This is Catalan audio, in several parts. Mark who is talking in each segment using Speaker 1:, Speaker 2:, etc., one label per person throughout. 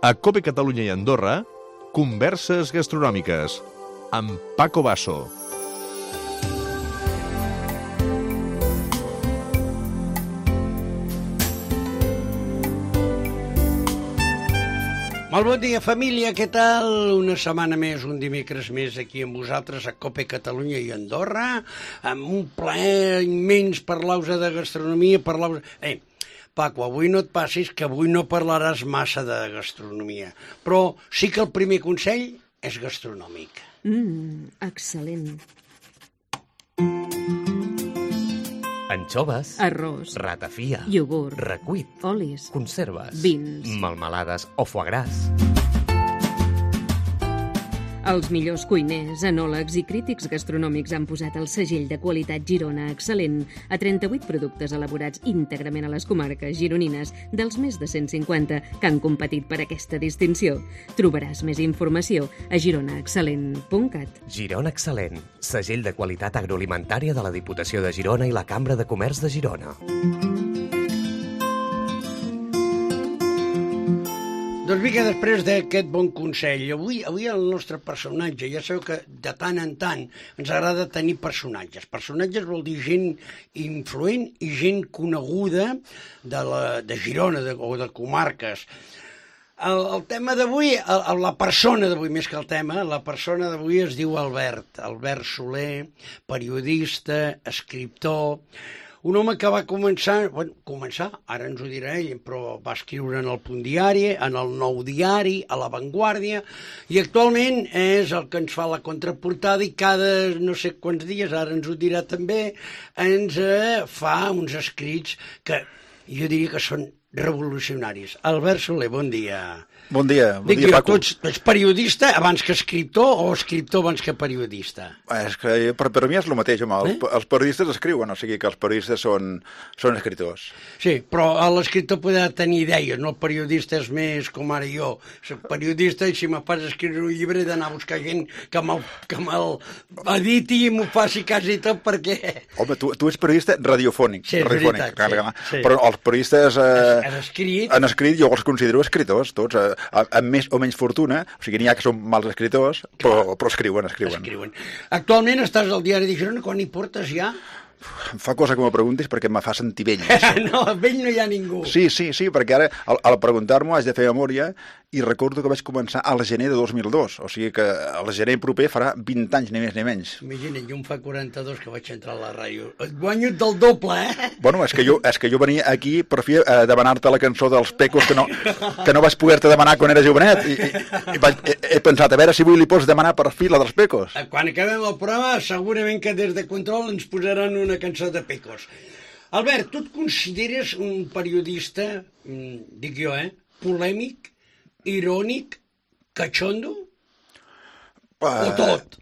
Speaker 1: A COPE Catalunya i Andorra, Converses Gastronòmiques, amb Paco Basso.
Speaker 2: Molt bon dia, família, què tal? Una setmana més, un dimecres més aquí amb vosaltres a COPE Catalunya i Andorra, amb un plaer immens parlar-vos de gastronomia, Paco, avui no et passis que avui no parlaràs massa de gastronomia, però sí que el primer consell és gastronòmic.
Speaker 3: Excel·lent.
Speaker 4: Anxoves,
Speaker 3: Arròs,
Speaker 4: ratafia,
Speaker 3: iogurt,
Speaker 4: recuit,
Speaker 3: olis,
Speaker 4: conserves,
Speaker 3: vins,
Speaker 4: melmelades o foie gras.
Speaker 3: Els millors cuiners, enòlegs i crítics gastronòmics han posat el segell de qualitat Girona Excel·lent a 38 productes elaborats íntegrament a les comarques gironines dels més de 150 que han competit per aquesta distinció. Trobaràs més informació a gironaexcel·lent.cat.
Speaker 4: Girona Excel·lent, segell de qualitat agroalimentària de la Diputació de Girona i la Cambra de Comerç de Girona.
Speaker 2: Doncs vinga, després d'aquest bon consell, avui el nostre personatge, ja sabeu que de tant en tant ens agrada tenir personatges. Personatges vol dir gent influent i gent coneguda de Girona o de comarques. El tema d'avui, la persona d'avui, més que el tema, la persona d'avui es diu Albert Soler, periodista, escriptor. Un home que va començar, ara ens ho dirà ell, però va escriure en el Punt Diari, en el Nou Diari, a La Vanguardia, i actualment és el que ens fa la contraportada i cada no sé quants dies, ara ens ho dirà també, ens fa uns escrits que jo diria que són revolucionaris. Albert Soler, bon dia.
Speaker 5: Bon dia, Paco.
Speaker 2: Tu ets periodista abans que escriptor o escriptor abans que periodista?
Speaker 5: És que per mi és el mateix, home. Els periodistes escriuen, o sigui que els periodistes són escriptors.
Speaker 2: Sí, però l'escriptor podrà tenir idees, no? El periodista és més com ara jo. Soc periodista i si me fas escriure un llibre he d'anar a buscar gent que me'l editi i m'ho faci quasi tot perquè...
Speaker 5: Home, tu ets periodista radiofònic.
Speaker 2: Sí, és veritat. Sí.
Speaker 5: Però els periodistes
Speaker 2: han
Speaker 5: escrit, jo els considero escriptors, tots, amb més o menys fortuna, o sigui, n'hi ha que són mals escriptors, però escriuen.
Speaker 2: Actualment estàs al Diari de Girona, quan hi portes ja?
Speaker 5: Em fa cosa que m'ho preguntis perquè me fa sentir vell.
Speaker 2: No, vell no hi ha ningú.
Speaker 5: Sí, perquè ara, al preguntar-m'ho, haig de fer memòria i recordo que vaig començar al gener de 2002, o sigui que al gener proper farà 20 anys, ni més ni menys.
Speaker 2: Imagina't, jo em fa 42 que vaig entrar a la ràdio. Et guanyo del doble, eh?
Speaker 5: Bueno, és que jo venia aquí per fi a demanar-te la cançó dels Pecos que no vaig poder-te demanar quan era jovenet i he pensat, a veure si avui li pots demanar per fi la dels Pecos.
Speaker 2: Quan acabem el programa, segurament que des de Control ens posaran una cançó de Pecos. Albert, tu et consideres un periodista, dic jo, polèmic, irònic, cachondo? O tot?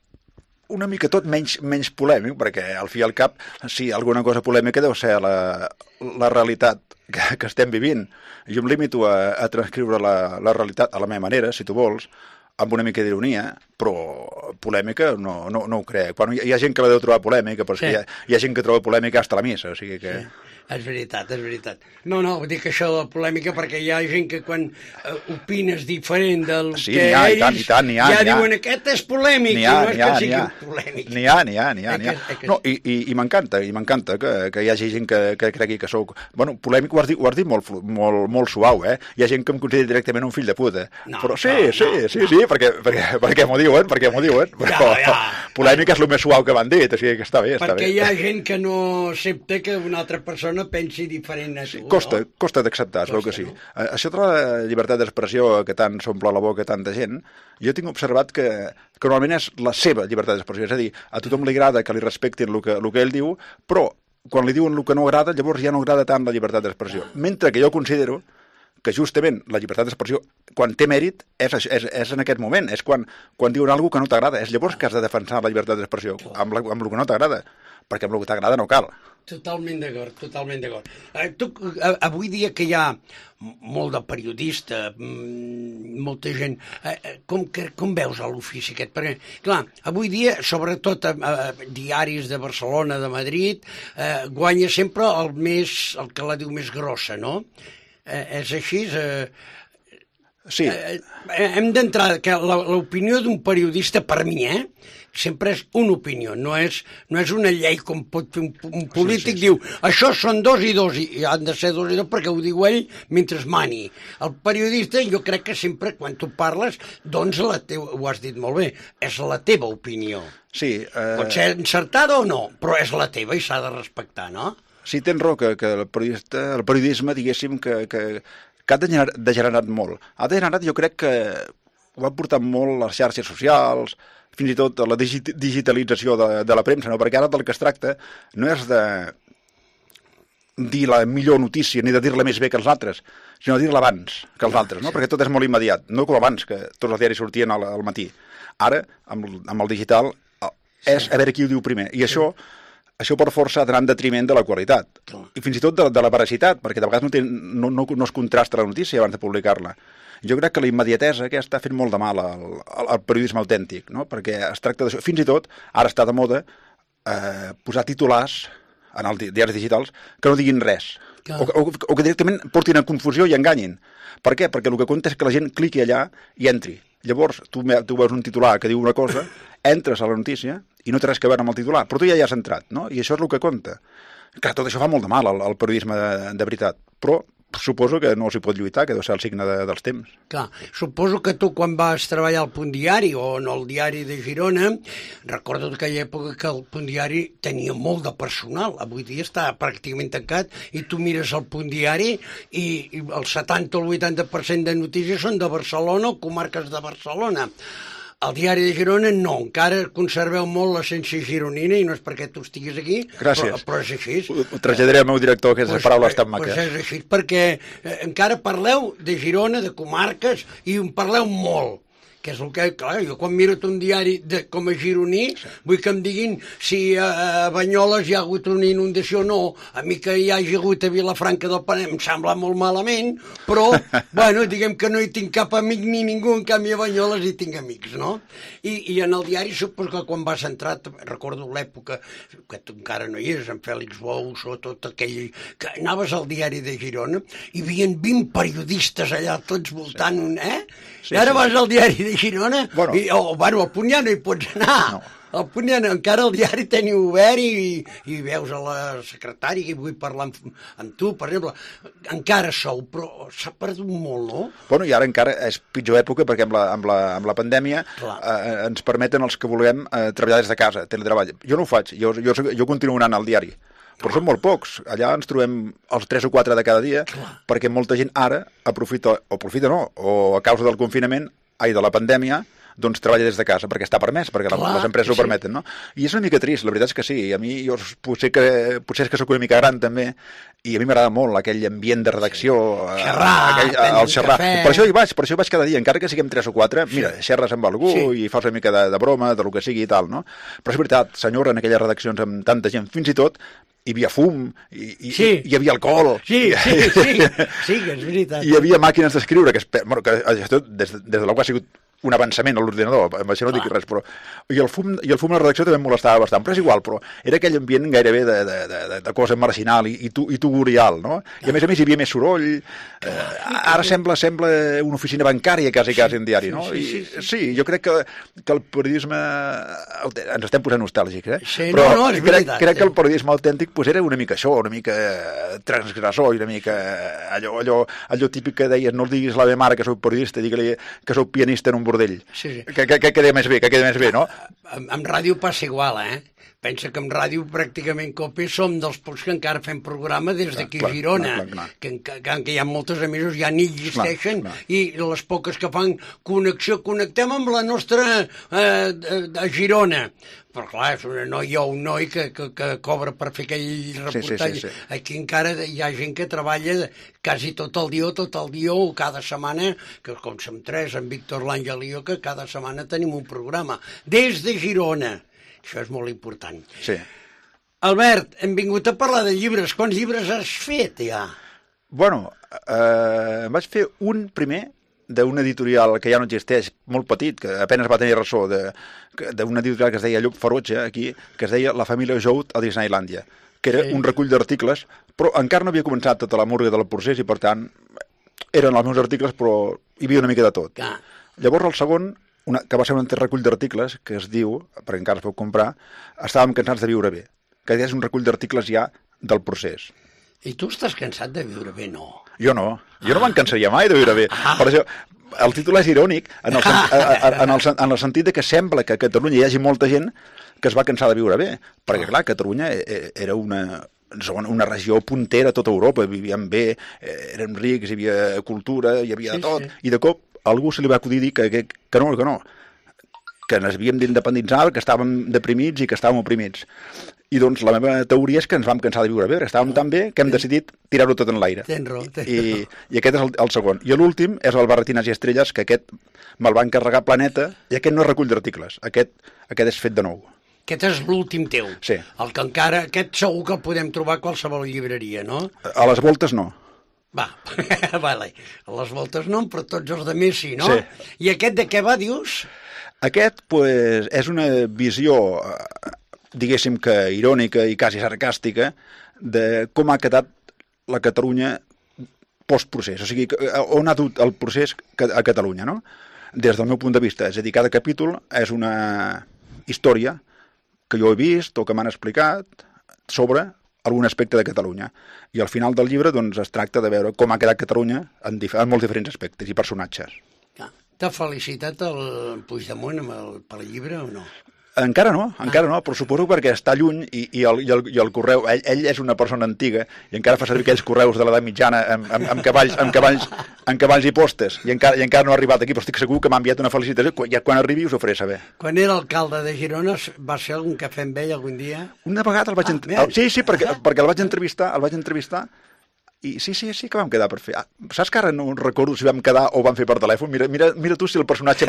Speaker 5: Una mica tot, menys polèmic, perquè al fi i al cap, sí, alguna cosa polèmica deu ser la realitat que estem vivint. Jo em limito a transcriure la realitat a la meva manera, si tu vols, amb una mica d'ironia, però polèmica no ho crec. Quan hi ha gent que la deu trobar polèmica, però sí. Hi ha gent que troba polèmica hasta la missa, o sigui que...
Speaker 2: Sí. És veritat. No, dic això de la polèmica perquè hi ha gent que quan opines diferent del que ells ja diuen aquest és polèmic i no és que sigui polèmic.
Speaker 5: N'hi ha. No, i m'encanta que hi hagi gent que cregui que sóc... Bueno, polèmic ho has dit molt suau, eh? Hi ha gent que em considera directament un fill de puta. Però sí, perquè m'ho diuen. Però polèmica és el més suau que m'han dit, o sigui que està bé.
Speaker 2: Perquè hi ha gent que no accepta que una altra persona pensi diferent a tu.
Speaker 5: Costa d'acceptar, es veu que sí. Això de la llibertat d'expressió que tant s'omple la boca tanta gent, jo tinc observat que normalment és la seva llibertat d'expressió, és a dir, a tothom li agrada que li respectin el que ell diu, però quan li diuen el que no agrada, llavors ja no agrada tant la llibertat d'expressió. Mentre que jo considero que justament la llibertat d'expressió, quan té mèrit, és en aquest moment, és quan diuen alguna cosa que no t'agrada, és llavors que has de defensar la llibertat d'expressió, amb el que no t'agrada, perquè amb el que t'agrada no cal.
Speaker 2: Totalment d'acord. Avui dia que hi ha molt de periodista, molta gent, com veus l'ofici aquest? Perquè, clar, avui dia, sobretot diaris de Barcelona, de Madrid, guanya sempre el que la diu més grossa, no? És així?
Speaker 5: Sí.
Speaker 2: Hem d'entrar, que l'opinió d'un periodista, per mi, sempre és una opinió, no és una llei com pot fer un polític, sí. Diu, això són 2 i 2, i han de ser 2 i 2 perquè ho diu ell mentre mani. El periodista, jo crec que sempre, quan tu parles, doncs ho has dit molt bé, és la teva opinió.
Speaker 5: Sí.
Speaker 2: Pot ser encertada o no, però és la teva i s'ha de respectar, no?
Speaker 5: Sí, tens raó que el periodisme, diguéssim, que ha degenerat molt. Ha degenerat, jo crec que ho han portat molt les xarxes socials, fins i tot la digitalització de la premsa, no? Perquè ara del que es tracta no és de dir la millor notícia ni de dir-la més bé que els altres, sinó de dir-la abans que els altres, no? Perquè tot és molt immediat, no com abans, que tots els diaris sortien al matí. Ara, amb el digital, és a veure qui ho diu primer. I això per força ha d'anar en detriment de la qualitat. I fins i tot de la veracitat, perquè de vegades no es contrasta la notícia abans de publicar-la. Jo crec que la immediatesa aquesta ha fet molt de mal al periodisme autèntic, no? Perquè es tracta d'això. Fins i tot, ara està de moda posar titulars en els diaris digitals que no diguin res. O que directament portin a confusió i enganyin. Per què? Perquè el que compta és que la gent cliqui allà i entri. Llavors, tu veus un titular que diu una cosa, entres a la notícia i no té res a veure amb el titular, però tu ja hi has entrat, no? I això és el que compta. Clar, tot això fa molt de mal al periodisme de veritat, però suposo que no s'hi pot lluitar, que deu ser el signe dels temps.
Speaker 2: Clar, suposo que tu quan vas treballar al Punt Diari o en el Diari de Girona, recordo aquella època que el Punt Diari tenia molt de personal, avui dia està pràcticament tancat i tu mires el Punt Diari i el 70 o el 80% de notícies són de Barcelona o comarques de Barcelona. El Diari de Girona no, encara conserveu molt l'essència gironina i no és perquè tu estiguis aquí, però és així.
Speaker 5: Ho traslladaré al meu director, que és paraules tan maques.
Speaker 2: Doncs és així, perquè encara parleu de Girona, de comarques, i en parleu molt. Que és el que, clar, jo quan miro un diari com a gironí, vull que em diguin si a Banyoles hi ha hagut una inundació o no. A mi que hi hagi hagut a Vilafranca del Penedès em sembla molt malament, però, bueno, diguem que no hi tinc cap amic ni ningú, en canvi a Banyoles hi tinc amics, no? I en el diari, suposo que quan vas entrar, recordo l'època, que tu encara no hi eres, en Fèlix Bous o tot aquell, que anaves al Diari de Girona, hi havia 20 periodistes allà tots voltant, Sí, i ara vas al Diari de Girona, al Punt ja no hi pots anar. No. Al Punt ja no, encara el diari teniu obert i veus a la secretària i vull parlar amb tu, per exemple. Encara sou, però s'ha perdut molt, no?
Speaker 5: Bueno, i ara encara és pitjor època perquè amb la pandèmia ens permeten els que vulguem treballar des de casa, teletreball. Jo no ho faig, jo continuo anant al diari. Però són molt pocs. Allà ens trobem els 3 o 4 de cada dia, perquè molta gent ara aprofita o a causa del confinament, de la pandèmia, doncs treballa des de casa, perquè està permès, perquè les empreses ho permeten, no? I és una mica trist, la veritat és que sí. A mi, potser és que soc una mica gran, també, i a mi m'agrada molt aquell ambient de redacció,
Speaker 2: el
Speaker 5: xerrar. Per això hi vaig cada dia, encara que siguem 3 o 4, mira, xerres amb algú i fas una mica de broma, de lo que sigui i tal, no? Però és veritat, senyora, en aquelles redaccions amb tanta gent, fins i tot hi havia fum, hi havia alcohol.
Speaker 2: Sí, que és veritat.
Speaker 5: Hi havia màquines d'escriure, que des de l'altre ha sigut un avançament a l'ordinador, amb això no dic res, però... I el fum a la redacció també em molestava bastant, però és igual, però era aquell ambient gairebé de cosa marginal i tugurial, no? I a més hi havia més soroll, ara sembla una oficina bancària quasi en diari, no? Sí, jo crec que el periodisme... Ens estem posant nostàlgics, però crec que el periodisme autèntic era una mica això, una mica transgressor i una mica allò típic que deies, no diguis a la meva mare que soc periodista, digue-li que soc pianista en un bordell. Que queda més bé, no?
Speaker 2: Amb ràdio passa igual, Pensa que amb ràdio pràcticament COPE som dels pocs que encara fem programa des d'aquí a Girona, que hi ha moltes emissions, ja ni existeixen, i les poques que fan connexió, connectem amb la nostra a Girona. Però clar, és una noia o un noi que cobra per fer aquell reportatge. Aquí encara hi ha gent que treballa quasi tot el dia o cada setmana, que com som 3, en Víctor, l'Àngel i jo, que cada setmana tenim un programa. Des de Girona. Això és molt important.
Speaker 5: Sí.
Speaker 2: Albert, hem vingut a parlar de llibres. Quants llibres has fet, ja?
Speaker 5: Bueno, vaig fer un primer d'una editorial que ja no existeix, molt petit, que apenas va tenir ressò, d'una editorial que es deia Llop Ferotge, aquí, que es deia La família Jout a Disneylàndia, que era un recull d'articles, però encara no havia començat tota la murga del procés i, per tant, eren els meus articles, però hi havia una mica de tot.
Speaker 2: Clar.
Speaker 5: Llavors el segon, que va ser un recull d'articles, que es diu, perquè encara es pot comprar, Estàvem cansats de viure bé, que és un recull d'articles ja del procés.
Speaker 2: I tu estàs cansat de viure bé, no?
Speaker 5: Jo no me'n cansaria mai de viure bé. Per això, el títol és irònic en el sentit de que sembla que a Catalunya hi hagi molta gent que es va cansar de viure bé, perquè clar, Catalunya era una regió puntera a tota Europa, vivíem bé, érem rics, hi havia cultura, hi havia de tot, i de cop a algú se li va acudir dir que no, que ens havíem d'independitzar, que estàvem deprimits i que estàvem oprimits. I doncs la meva teoria és que ens vam cansar de viure bé, estàvem tan bé que hem decidit tirar-ho tot en l'aire.
Speaker 2: Tens raó.
Speaker 5: I aquest és el segon. I l'últim és el Barretines i Estrelles, que aquest me'l va encarregar Planeta, i aquest no és recull d'articles, aquest és fet de nou.
Speaker 2: Aquest és l'últim teu.
Speaker 5: Sí.
Speaker 2: El que encara... Aquest segur que el podem trobar a qualsevol llibreria, no?
Speaker 5: A les voltes no.
Speaker 2: Va, vale. A les voltes no, però tots els de més sí, no?
Speaker 5: Sí.
Speaker 2: I aquest de què va, dius?
Speaker 5: Aquest, pues, és una visió, diguéssim que irònica i quasi sarcàstica, de com ha quedat la Catalunya post-procés, o sigui, on ha dut el procés a Catalunya, no? Des del meu punt de vista, és a dir, cada capítol és una història que jo he vist o que m'han explicat sobre algun aspecte de Catalunya. I al final del llibre doncs, es tracta de veure com ha quedat Catalunya en molts diferents aspectes i personatges.
Speaker 2: T'ha felicitat el Puigdemont pel llibre o no?
Speaker 5: Encara no, però suposo perquè està lluny i el correu, ell és una persona antiga i encara fa servir aquells correus de l'edat mitjana amb cavalls i postes i encara no ha arribat aquí, però estic segur que m'ha enviat una felicitació, quan arribi us ho faré saber.
Speaker 2: Quan era alcalde de Girona va ser algun cafè amb ell algun dia?
Speaker 5: Una vegada el vaig entrevistar, sí, perquè el vaig entrevistar i sí, que vam quedar per fer. Saps que ara no recordo si vam quedar o vam fer per telèfon? Mira tu si el personatge...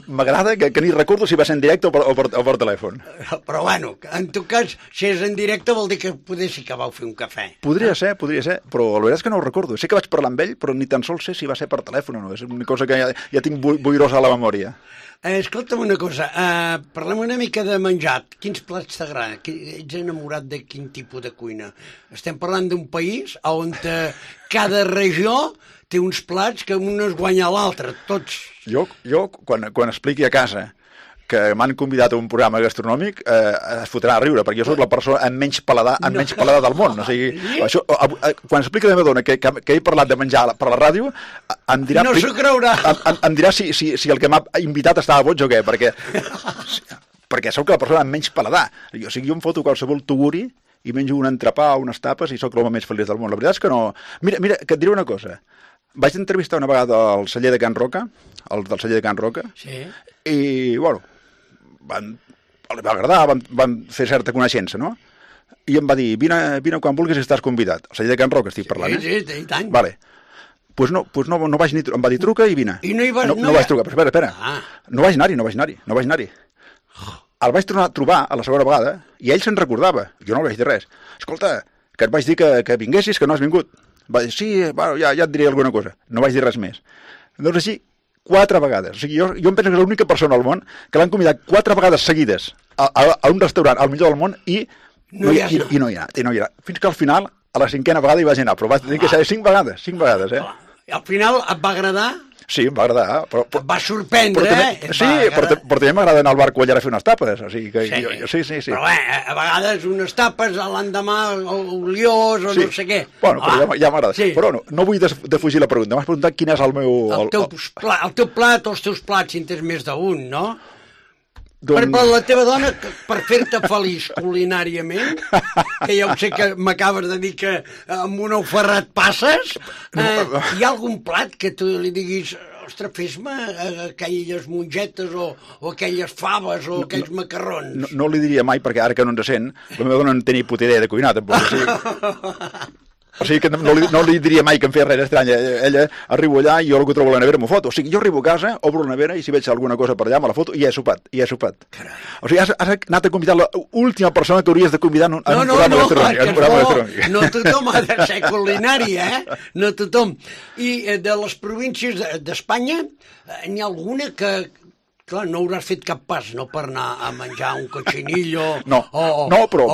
Speaker 5: m'agrada, que ni recordo si va ser en directe o per telèfon.
Speaker 2: Però bueno, en tot cas, si és en directe vol dir que poder sí que vau fer un cafè.
Speaker 5: Podria ser, però la veritat és que no ho recordo. Sé que vaig parlar amb ell, però ni tan sols sé si va ser per telèfon o no. És una cosa que ja tinc boirosa a la memòria.
Speaker 2: Escolta'm una cosa, parlem una mica de menjar. Quins plats t'agraden? Ets enamorat de quin tipus de cuina? Estem parlant d'un país on cada regió té uns plats que un es guanya a l'altre, tots.
Speaker 5: Jo quan expliqui a casa que m'han convidat a un programa gastronòmic es fotrà a riure, perquè jo soc la persona amb menys paladar del món. O sigui, això, quan expliqui a la meva dona que he parlat de menjar per la ràdio, em dirà...
Speaker 2: No s'ho creurà.
Speaker 5: Em dirà si el que m'ha invitat estava boig o què, perquè sóc la persona amb menys paladar. O sigui, jo em foto qualsevol tuguri i menjo un entrepà o unes tapes i sóc l'home més feliç del món. La veritat és que no... Mira, que et diré una cosa. Vaig entrevistar una vegada el celler de Can Roca, el del celler de Can Roca, i, bueno, li va agradar, van fer certa coneixença, no? I em va dir, vine quan vulguis i estàs convidat. El celler de Can Roca estic parlant,
Speaker 2: Sí, i tant.
Speaker 5: Vale. Pues no vaig ni... Em va dir, truca i vine.
Speaker 2: I no hi vas...
Speaker 5: No vaig trucar, però espera. No vaig anar-hi. El vaig tornar a trobar a la segona vegada i ell se'n recordava. Jo no li vaig dir res. Escolta, que et vaig dir que vinguessis, que no has vingut. Va dir, sí, bueno, ja et diré alguna cosa. No vaig dir res més. Doncs així, 4 vegades. O sigui, jo em penso que és l'única persona al món que l'han convidat 4 vegades seguides a un restaurant al millor del món i no hi ha anat. Fins que al final, a la 5ª vegada hi vaig anar, però vaig dir que ser 5 vegades,
Speaker 2: Al final et va agradar?
Speaker 5: Sí, em va agradar.
Speaker 2: Et va sorprendre,
Speaker 5: però també m'agrada anar al bar Cuellar a fer unes tapes. O sigui que sí.
Speaker 2: Però a vegades unes tapes, l'endemà oliós o no sé què.
Speaker 5: Bueno, però ja m'agrada.
Speaker 2: Sí.
Speaker 5: Però no vull defugir la pregunta. M'has preguntat quin és el meu...
Speaker 2: El teu plat o els teus plats, si en tens més d'un, no?
Speaker 5: Doncs...
Speaker 2: Per la teva dona, per fer-te feliç culinàriament, que ja ho sé que m'acabes de dir que amb un ou ferrat passes, hi ha algun plat que tu li diguis, ostres, fes-me aquelles mongetes o aquelles faves o aquells macarrons?
Speaker 5: No li diria mai, perquè ara que no ens sent, la meva dona no té ni puta idea de cuinar, tampoc. O sigui que no li diria mai que em feia res estrany. Ella arribo allà i jo el que trobo a la nevera m'ho foto. O sigui, jo arribo a casa, obro la nevera i si veig alguna cosa per allà me la foto i ja he sopat. Carai. O sigui, has anat a convidar l'última persona que hauries de convidar en un programa gastronòmic.
Speaker 2: No tothom ha de ser culinari, No tothom. I de les províncies d'Espanya, n'hi ha alguna que... Clar, no hauràs fet cap pas, no per anar a menjar un cochinillo o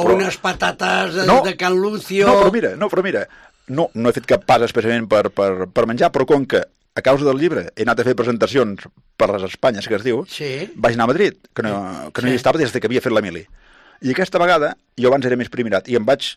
Speaker 2: unes patates de Can Lucio...
Speaker 5: No, però mira, no he fet cap pas especialment per menjar, però com que a causa del llibre he anat a fer presentacions per les Espanyes, que es diu, vaig anar a Madrid, que no hi estava des que havia fet la mili. I aquesta vegada, jo abans era més primirat, i em vaig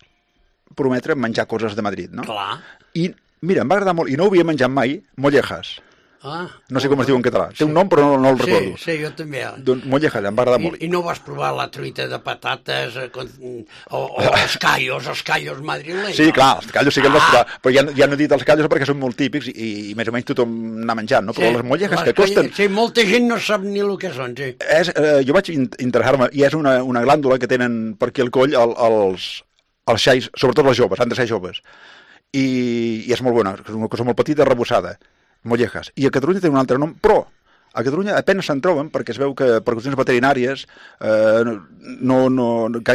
Speaker 5: prometre menjar coses de Madrid, no?
Speaker 2: Clar.
Speaker 5: I, mira, em va agradar molt, i no ho havia menjat mai, mollejas. No sé com es diu en català. Té un nom, però no el recordo.
Speaker 2: Sí, jo també.
Speaker 5: Doncs mollejas, em va agradar molt.
Speaker 2: I no vas provar la truita de patates o els callos madrilenys?
Speaker 5: Sí, clar, els callos sí que els vas provar, però ja no he dit els callos perquè són molt típics i més o menys tothom n'ha menjat, no? Però les mollejas que costen...
Speaker 2: Sí, molta gent no sap ni el que són, sí.
Speaker 5: Jo vaig interessar-me, i és una glàndula que tenen per aquí al coll els xais, sobretot les joves, han de ser joves. I és molt bona, és una cosa molt petita, arrebossada. Mollejas. I a Catalunya té un altre nom, però a Catalunya apenas se'n troben perquè es veu que per qüestions veterinàries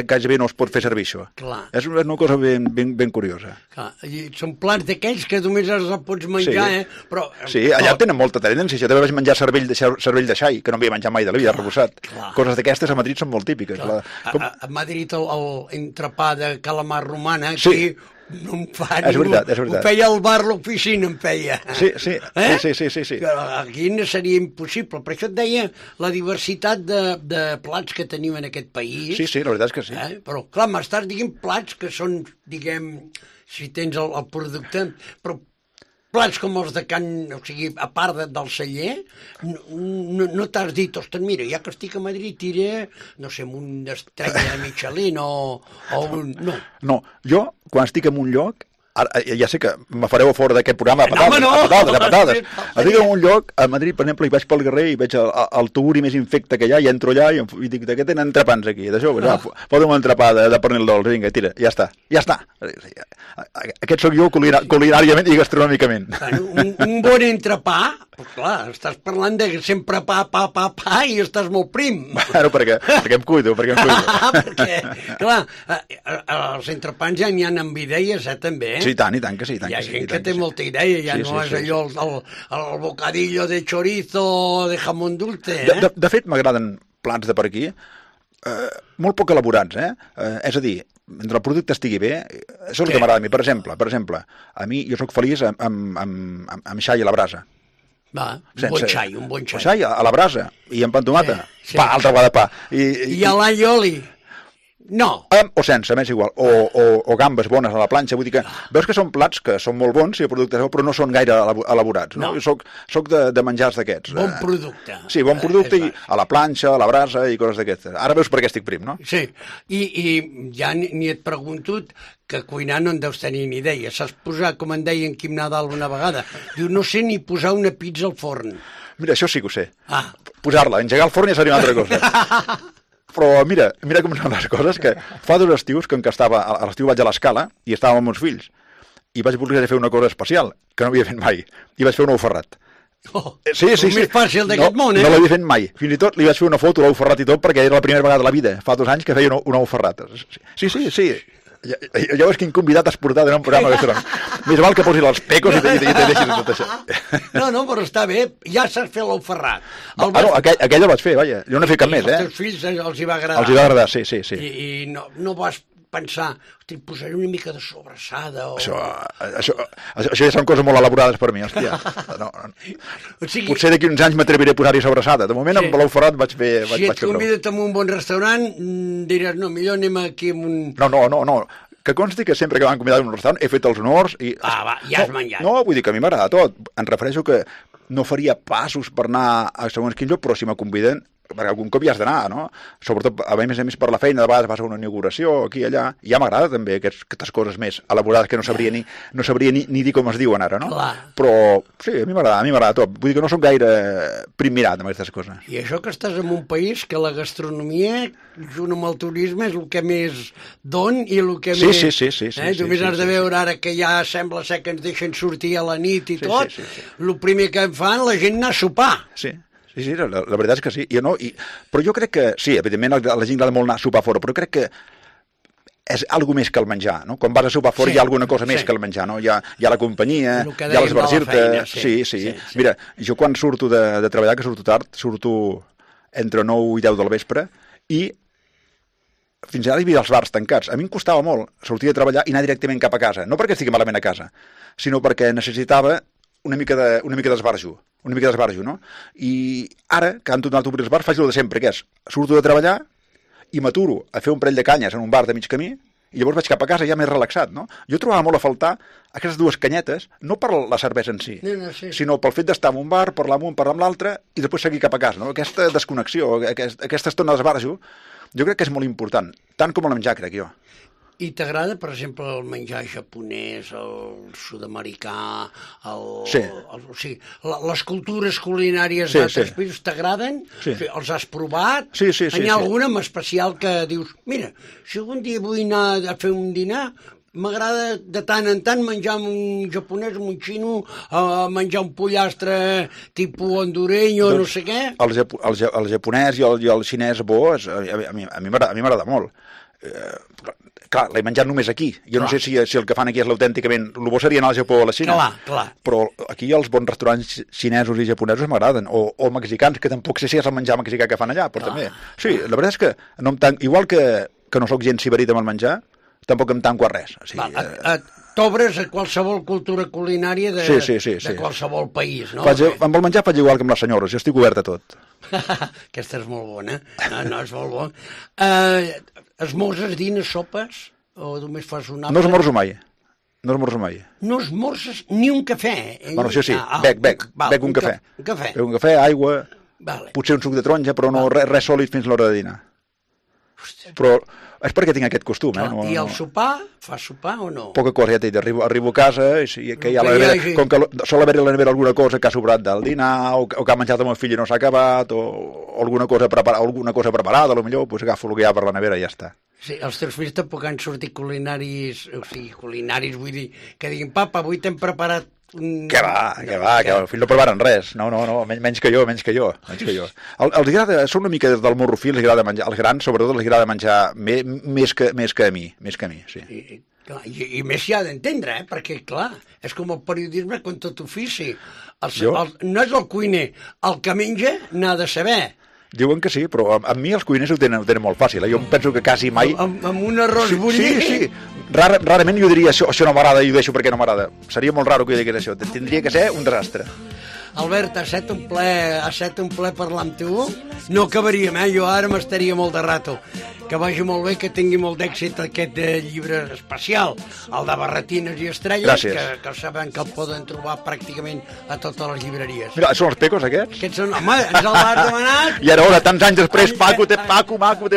Speaker 5: gairebé no es pot fer servir això.
Speaker 2: Clar.
Speaker 5: És una cosa ben curiosa.
Speaker 2: Clar. I són plats d'aquells que només els pots menjar, però...
Speaker 5: Sí, allà tenen molta tendència. Jo també vaig menjar cervell de xai, que no havia menjat mai de la vida, arrebossat. Coses d'aquestes a Madrid són molt típiques.
Speaker 2: A Madrid l'entrepà de calamar romana, aquí... No em fa
Speaker 5: és veritat.
Speaker 2: Ho feia al bar l'oficina, em feia.
Speaker 5: Sí.
Speaker 2: Però aquí no seria impossible. Per això et deia la diversitat de plats que tenim en aquest país.
Speaker 5: Sí, la veritat és que sí.
Speaker 2: Però, clar, m'estàs dient plats que són, diguem, si tens el producte, però plats com els de o sigui, a part del celler, no t'has dit, ostres, mira, ja que estic a Madrid tiré, no sé, amb una estrella de Michelin o un...
Speaker 5: No, jo, quan estic en un lloc, ja sé que me fareu a fora d'aquest programa de patades. Estic en un lloc, a Madrid, per exemple, i vaig pel carrer i veig el tuguri més infecte que hi ha, i entro allà i dic, de què tenen entrepans aquí? D'això, fota'm un entrepà de pernil dolç, vinga, tira, ja està. Aquest sóc jo culinàriament i gastronòmicament.
Speaker 2: Un bon entrepà, clar, estàs parlant de sempre pa, i estàs molt prim.
Speaker 5: Bueno, perquè em cuido.
Speaker 2: Perquè, clar, els entrepans ja n'hi ha amb idees, també,
Speaker 5: Sí, tant que sí.
Speaker 2: Hi ha gent que té molta idea, ja no és allò el bocadillo de chorizo de jamón dulce,
Speaker 5: De fet, m'agraden plats de per aquí, molt poc elaborats, és a dir, mentre el producte estigui bé, això és el que m'agrada a mi. Per exemple, a mi jo sóc feliç amb xai a la brasa.
Speaker 2: Un bon xai.
Speaker 5: Xai a la brasa i amb pa amb tomata. Altra vegada pa.
Speaker 2: I a l'all i oli. No.
Speaker 5: O sense, m'és igual. O gambes bones a la planxa. Vull dir que veus que són plats que són molt bons, si el producte és bo, però no són gaire elaborats. No? Jo soc de menjars d'aquests.
Speaker 2: Bon producte.
Speaker 5: Sí, bon producte a la planxa, a la brasa i coses d'aquestes. Ara veus per què estic prim, no?
Speaker 2: Sí, i ja ni et pregunto que cuinar no en deus tenir ni idea. Saps posar, com en deia en Quim Nadal una vegada, diu, no sé ni posar una pizza al forn.
Speaker 5: Mira, això sí que ho sé. Posar-la, engegar el forn ja seria una altra cosa. Però mira com són les coses, que fa 2 estius que estava, a l'estiu vaig a l'Escala i estava amb uns fills i vaig voler fer una cosa especial que no havia fet mai, i vaig fer un ou ferrat. Sí.
Speaker 2: El més fàcil d'aquest món,
Speaker 5: No l'havia fet mai. Fins i tot li vaig fer una foto a l'ou ferrat i tot perquè era la primera vegada de la vida, fa 2 anys que feia un ou ferrat. Sí. Ja veus quin convidat has portat en un programa gastronòmic. Més val que posis els pecos i te deixis tot això.
Speaker 2: No, però està bé, ja saps fer l'ou ferrat.
Speaker 5: Aquell el vaig fer, vaja. Jo no he fet cap més,
Speaker 2: Els teus fills els hi va agradar.
Speaker 5: Els hi va agradar, sí.
Speaker 2: I no vas pensar, hosti, posaré una mica de sobrassada o...
Speaker 5: Això ja són coses molt elaborades per mi, hòstia. Potser d'aquí uns anys m'atreviré a posar-hi sobrassada. De moment, amb l'ou ferrat vaig fer prou.
Speaker 2: Si et convides a un bon restaurant, diràs, no, millor anem aquí amb un...
Speaker 5: No. Que consti que sempre que m'han convidat a un restaurant he fet els honors i...
Speaker 2: ja has menjat.
Speaker 5: No, vull dir que a mi m'agrada tot. Em refereixo que no faria passos per anar a segons quin lloc, però si me conviden, perquè algun cop hi has d'anar, no? Sobretot, a més per la feina, de vegades vas a una inauguració, aquí i allà, i ja m'agrada també aquestes coses més elaborades que no sabria ni dir com es diuen ara, no?
Speaker 2: Clar.
Speaker 5: Però sí, a mi m'agrada tot. Vull dir que no soc gaire primirat amb aquestes coses.
Speaker 2: I això que estàs en un país que la gastronomia, junt amb el turisme, és el que més don i el que més...
Speaker 5: Sí.
Speaker 2: Només has de veure ara que ja sembla ser que ens deixen sortir a la nit i tot, el primer que fan, la gent anar a sopar.
Speaker 5: Sí, la veritat és que sí. Però jo crec que, sí, evidentment a la gent agrada molt anar a sopar fora, però crec que és alguna més que el menjar, no? Quan vas a sopar fora hi ha alguna cosa més que el menjar, no? Hi ha la companyia, hi ha l'esvergir-te... Sí. Mira, jo quan surto de treballar, que surto tard, surto entre 9 i 10 del vespre, i fins ara hi havia els bars tancats. A mi em costava molt sortir a treballar i anar directament cap a casa. No perquè estigui malament a casa, sinó perquè necessitava una mica d'esbarjo, no? I ara, que han tornat a obrir els bars, faig el de sempre, que és, surto de treballar i m'aturo a fer un parell de canyes en un bar de mig camí i llavors vaig cap a casa ja més relaxat, no? Jo trobava molt a faltar aquestes dues canyetes, no per la cervesa en si,
Speaker 2: sí.
Speaker 5: sinó pel fet d'estar en un bar, parlar amb un, parlar amb l'altre i després seguir cap a casa, no? Aquesta desconnexió, aquesta estona d'esbarjo, jo crec que és molt important, tant com el menjar, crec jo.
Speaker 2: I t'agrada, per exemple, el menjar japonès, el sud-americà, les cultures culinàries d'altres països t'agraden?
Speaker 5: Sí.
Speaker 2: Els has provat?
Speaker 5: Sí.
Speaker 2: N'hi ha alguna en especial que dius, mira, si algun dia vull anar a fer un dinar, m'agrada de tant en tant menjar un japonès, un xino, menjar un pollastre tipus hondureño, no sé què.
Speaker 5: El japonès i el xinès bo, a mi m'agrada molt. Clar, l'he menjat només aquí. Jo no sé si el que fan aquí és l'autènticament... El bo seria anar al Japó o a la Xina.
Speaker 2: Clar.
Speaker 5: Però aquí els bons restaurants xinesos i japonesos m'agraden. O mexicans, que tampoc sé si és el menjar mexicà que fan allà, però també. Sí, la veritat és que no em tanco... Igual que no sóc gens ciberit amb el menjar, tampoc em tanco a res. O sigui,
Speaker 2: t'obres a qualsevol cultura culinària de qualsevol país, no?
Speaker 5: Amb el menjar faig igual que amb les senyores, jo estic obert a tot.
Speaker 2: Aquesta és molt bona. No, és molt bona. Esmorzes, dines, sopes? O només fas un àpat?
Speaker 5: No esmorzo mai. No
Speaker 2: esmorzes ni un cafè?
Speaker 5: Bueno, sí. Bec un cafè. Bec un cafè, aigua, potser un suc de taronja, però no res sòlid fins a l'hora de dinar. Però és perquè tinc aquest costum,
Speaker 2: I el sopar? Fas sopar o no?
Speaker 5: Poca cosa, ja t'he dit, arribo a casa i que hi ha la nevera, com que sol haver-hi a la nevera alguna cosa que ha sobrat del dinar, o que ha menjat el meu fill i no s'ha acabat, o alguna cosa preparada, potser agafo el que hi ha per la nevera i ja està.
Speaker 2: Sí, els teus fills tampoc han sortit culinaris, vull dir, que diguin, papa, avui t'hem preparat
Speaker 5: Que va, el fill no provaren res. No, menys que jo. Els agrada, són una mica del morrofí, els agrada menjar, als grans sobretot els agrada menjar més que a mi, sí.
Speaker 2: I més s'hi ha d'entendre, perquè, clar, és com el periodisme com tot ofici. No és el cuiner, el que menja n'ha de saber.
Speaker 5: Diuen que sí, però amb mi els cuiners ho tenen molt fàcil. Jo penso que quasi mai...
Speaker 2: Amb un arròs bullit?
Speaker 5: Sí. Rarament jo diria això no m'agrada i ho deixo perquè no m'agrada. Seria molt raro que jo digués això. Tindria que ser un desastre.
Speaker 2: Albert, ha estat un ple parlar amb tu. No acabaríem, jo ara m'estaria molt de rato. Que vagi molt bé, que tingui molt d'èxit aquest llibre especial, el de Barretines i Estrelles, que sabem que el poden trobar pràcticament a totes les llibreries.
Speaker 5: Mira, són els pecos, aquests?
Speaker 2: Aquests són, home, ens el vas demanat.
Speaker 5: I ara, tants anys després, Paco, t'he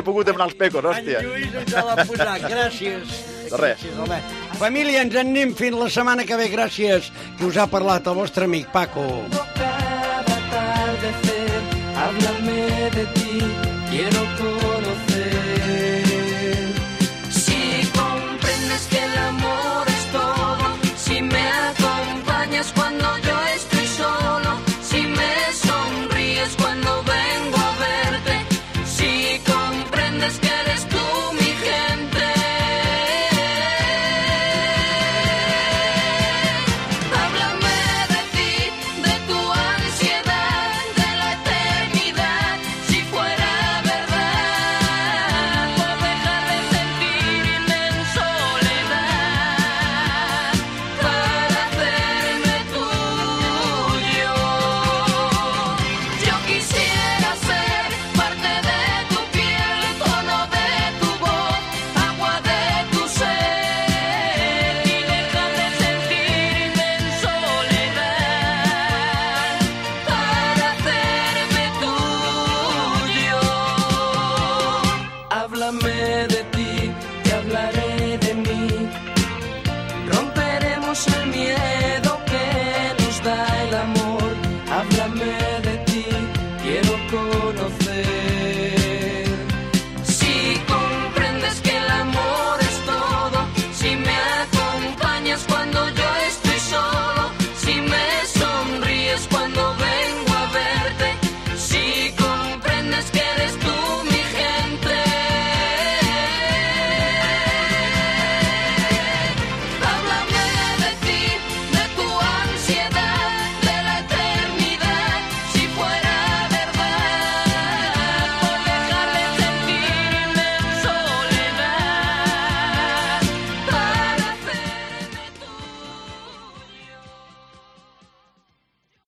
Speaker 5: pogut demanar els pecos, hòstia.
Speaker 2: En Lluís ens l'ha posat, gràcies.
Speaker 5: De res.
Speaker 2: Família, ens en anem fins la setmana que ve, gràcies. Qui us ha parlat, el vostre amic, Paco.
Speaker 6: Cada atardecer, háblame de ti, quiero conocer. Si comprendes que el amor es todo, si me acompañas cuando yo estoy solo, si me sonríes cuando vengo a verte, si comprendes que eres tú mi gente. Háblame de ti, de tu ansiedad, de la eternidad, si fuera verdad, por dejar de sentirme en soledad, para hacerme tuyo. Yo quisiera ser parte de tu piel, tono de tu voz, agua de tu ser, y dejar de sentirme en soledad, para hacerme tuyo. Háblame de ti, te hablaré de mí, romperemos el miedo.